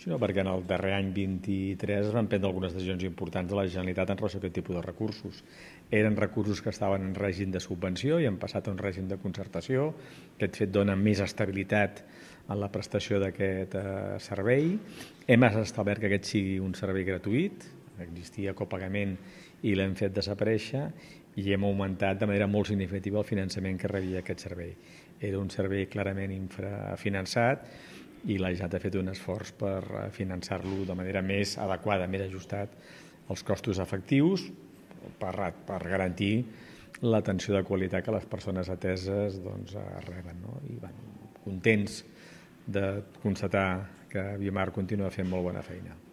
sinó perquè en el darrer any 23 es van prendre algunes decisions importants de la Generalitat en relació a aquest tipus de recursos. Eren recursos que estaven en règim de subvenció i han passat a un règim de concertació. Aquest fet dona més estabilitat en la prestació d'aquest servei. Hem establert que aquest sigui un servei gratuït, existia copagament i l'hem fet desaparèixer, i hem augmentat de manera molt significativa el finançament que rebia aquest servei. Era un servei clarament infrafinançat i la Generalitat ha fet un esforç per finançar-lo de manera més adequada, més ajustat als costos efectius per garantir l'atenció de qualitat que les persones ateses reben. I contents de constatar que Viamar continua fent molt bona feina.